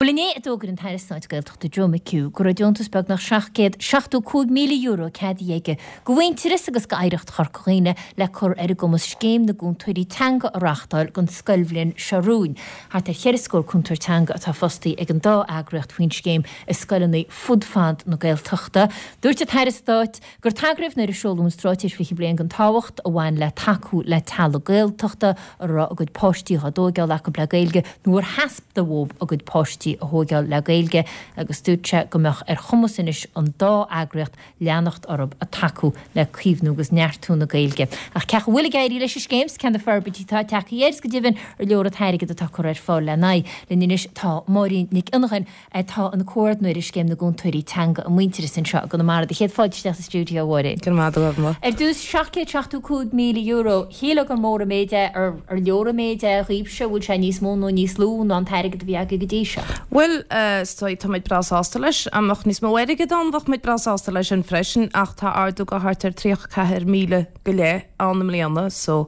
Bhuel inné a d'fhógair an tAire Stáit Gaeltachta Joe McHugh go raibh deontas beagnach €775,000 ceadaithe aige do Mhuintearas agus d'Oidhreacht Chorca Dhuibhne le cur ar a gcumas Scéim na gCúntóirí Teanga a reáchtáil don scoilbhliain seo romhainn. Thart ar cheithre scór cúntóir teanga atá fostaithe ag an dá eagraíocht faoin scéim i scoileanna fud fad na Gaeltachta. Dúirt an tAire Stáit gur tagraíodh nuair a seoladh an Straitéis 20 Bliain don tábhacht a bhain le tacú le teaghlaigh Gaeltachta a raibh a gcuid páistí dhá dtóigeáil acu le Gaeilge nó ar theastaigh uathu a gcuid páistí a thóigeáil le Gaeilge agus dúirt sé go mbeadh ar chumas anois an dá eagraíocht leanacht orthu ag tacú le caomhnú agus neartú na Gaeilge. Ach cén chaoi a bhfuil ag éirí leis an scéim 's cé na forbairtí atá tagtha air 's go deimhin ar leor an t-airgead atá curtha ar fáil lena aghaidh. Linn anois tá Máirín Nic Fhionnghain, atá ina comhordnóir ar Scéim na gCúntóirí Teanga i Muintearas anseo i gConamara. Do chéad fáilte isteach sa stiúideo, a Mháirín. Go raibh maith agat, a Mhaire. Ar dtús, €775,000. Shílfeá gur mór an méid é. Ar leor an méid é dhaoibhse? Bhfuil sé níos mó nó níos lú ná an t-airgead a bhí agaibh go dtí seo? Bhuel, is dóigh, tá muid breá sásta leis. Dá mbeadh níos mó airgid ann, bheadh muid breá sásta leis sin freisin, ach tá ardú go thart ar 34,000 go leith ann i mbliana, so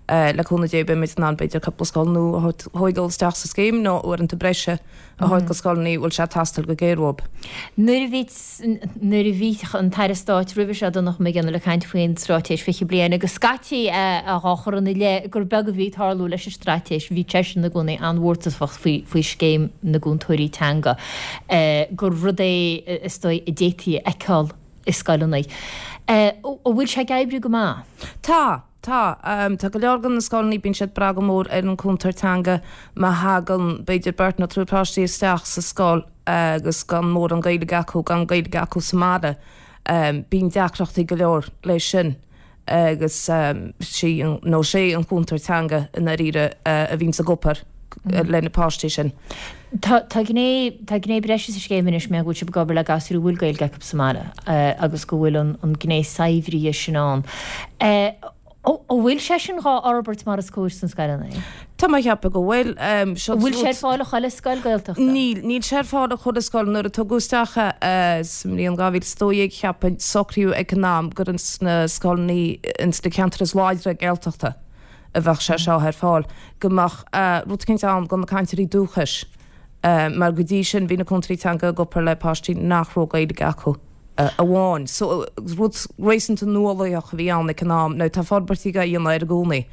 le cúnamh Dé beidh muid in ann b'fhéidir cúpla scoil nua a thóigeáil isteach sa scéim nó uaireanta breise a thabhairt go scoileanna a bhfuil sé ag teastáil go géar uathu. Nuair a bhí nuair a bhí an tAire Stáit roimhe seo, Donncha Mac Fhionnaile, ag caint faoin Straitéis 20 Bliain agus scaití é á chur ina leith gur beag a bhí ag tarlú leis an straitéis, bhí seisean i gcónaí an-mhórtasach faoi faoi scéim na gcúntóirí teanga, gur rud é is dóigh a d'fhéadfaí a fheiceáil i scoileanna. An bhfuil sé ag oibriú go maith? Tá. Tá. Tá go leor de na scoileanna, bíonn siad ag brath go mór ar an cúntóir teanga má thagann b'fhéidir beirt nó triúr páistí isteach sa scoil agus gan mórán Gaeilge acu, gan Gaeilge acu sa mbaile. Bíonn deacrachtaí go leor leis sin agus sí nó sé an cúntóir teanga i ndáiríre a bhíonns ag obair le na páistí sin. Tá tá gné tá gné breise sa scéim anois mar go bhfuil sibh ag obair le gasúir a bhfuil Gaeilge acu sa mbaile agus go bhfuil an an gné saibhrithe sin ann. An bhfuil sé sin dhá fhorbairt mar is cóir sna scoileanna? Tá mé ag ceapadh go bhfuil. An bhfuil sé ar fáil i chuile scoil Gaeltachta? Níl, níl sé ar fáil i chuile scoil. Nuair a tugadh isteach é sa mbliain 2012 cheapfainn, socraíodh ag an am gur ins na scoileanna ins na ceantair is láidre Gaeltachta a bheadh sé seo ar fáil, go mbeadh rud eicínt ann do na cainteoirí dúchais, mar go dtí sin bhí na cúntóirí teanga ag obair le páistí nach raibh Gaeilge acu amháin. So, rud réasúnta nuálaíoch a bhí ann ag an am. Now, tá forbairtí á dhéanamh air i gcónaí,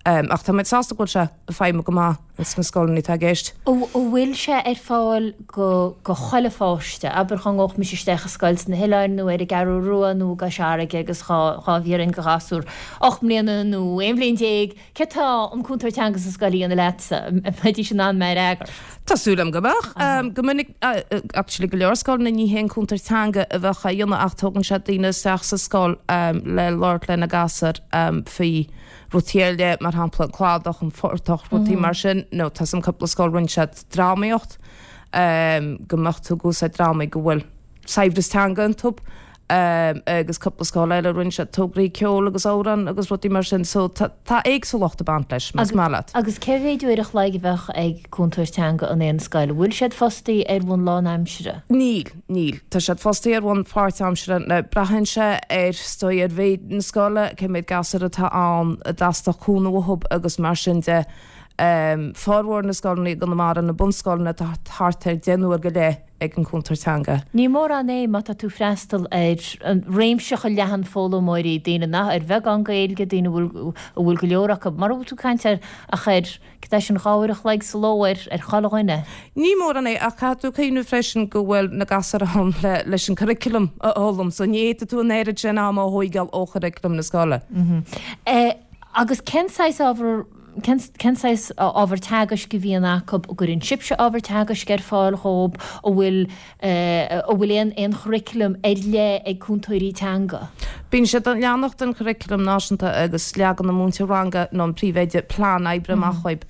ach tá muid sásta go bhfuil sé ag feidhmiú go maith ins na scoileanna atá i gceist. An bhfuil sé ar fáil go go chuile pháiste? Abair dhá ngabhfadh mise isteach i scoil sna hoileáin nó ar an gCeathrú Rua nó i gCois Fharraige agus dhá dhá bhfiafraínn de ghasúr 8 mbliana nó 11 bhliain, céard tá an cúntóir teanga sa scoil a dhéanamh leatsa? An mbeidís in ann mé a fhreagairt? Tá súil agam go mbeadh. Go minic, actually go leor scoileanna ní hé an cúntóir teanga a bheadh á dhéanamh ach tógann siad daoine isteach sa scoil le labhairt le na gasúir faoi rudaí eile, mar shampla an cladach, an phortach, rudaí mar sin, nó tá 's a'm cúpla scoil rinne siad drámaíocht, go mbeadh tú ag úsáid drámaí go bhfuil saibhreas teanga iontu, agus cúpla scoil eile rinne siad tograí ceoil agus amhrán agus rudaí mar sin, so tá tá éagsúlacht ag baint leis, más maith leat. Agus cé mhéid uair a chloig a bheadh ag cúntóir teanga in aon scoil? An bhfuil siad fostaí ar bhonn lánaimsire? Níl. Níl. Tá siad fostaithe ar bhonn páirtaimseartha. Now, braitheann sé ar, is dóigh, ar mhéid na scoile, cé mhéad gasúr atá ann a dteastódh cúnamh uathu agus mar sin de. Formhór na scoileanna i gConamara, na bunscoileanna, tá thart ar 10 n-uair go leith ag an gcúntóir teanga. Ní mórán é má tá tú freastal ar réimse chomh leathan foghlaimeoirí, daoine nach, ar bheagán Gaeilge, daoine a bhfuil, a bhfuil go leor acu, mura bhfuil tú ag caint ar, ach ar Cad é sin 2 uair a chloig sa ló ar ar chuile dhuine? Ní mórán é, ach caithfidh tú cuimhneamh freisin go bhfuil na gasúir ann le leis an curriculum a fhoghlaim, so ní fhéadfaidh tú an oiread sin ama a thóigeáil ó churriculum na scoile. Agus cén saghas ábhar, cén cén saghas ábhar teagaisc a bhíonn acu? An gcuireann sibhse ábhar teagaisc ar fáil dhóibh? An bhfuil An bhfuil aon aon churriculum ar leith ag cúntóirí teanga? Bíonn siad ag leanacht den churriculum náisiúnta agus leagann an múinteoir ranga nó an príomhoide plean oibre amach dhóibh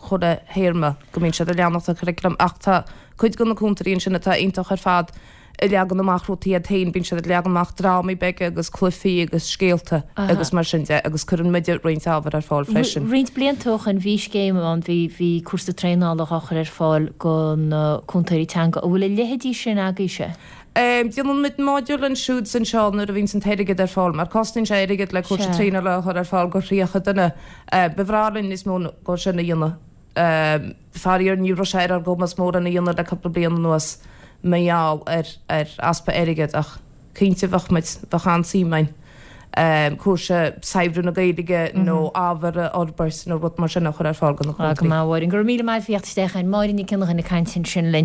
chuile théarma go mbíonn siad ag leanacht den churriculum ach tá cuid de na cúntóirí ansin atá iontach ar fad ag leagan amach rudaí iad féin, bíonn siad ag leagan amach drámaí beaga agus cluichí agus scéalta agus mar sin de agus cuireann muide roinnt ábhar ar fáil freisin. Roinnt blianta ó shoin bhí scéim ann, bhí bhí cúrsa traenála á chur ar fáil go na cúntóirí teanga. An bhfuil a leithéidí sin agaibhse? Déanann muid modúl ansiúd is anseo nuair a bhíonns an t-airgead ar fáil, mar cosnaíonn sé airgead le cúrsa traenála a chur ar fáil go 30 duine. Ba bhreá linn níos mó dhó sin a dhéanamh. Faraor ní raibh sé ar ár gcumas mórán a dhéanamh le cúpla bliain anuas mar gheall ar ar easpa airgid ach cinnte bheadh muid, bheadh an-suim againn cúrsa saibhriú na Gaeilge nó ábhar a fhorbairt nó rud mar sin a chur ar fáil do na Go cúntóirí. maith, a Mháirín. Go raibh míle maith faoi theacht isteach againn. Máirín Nic Fhionnghain ag caint ansin linn.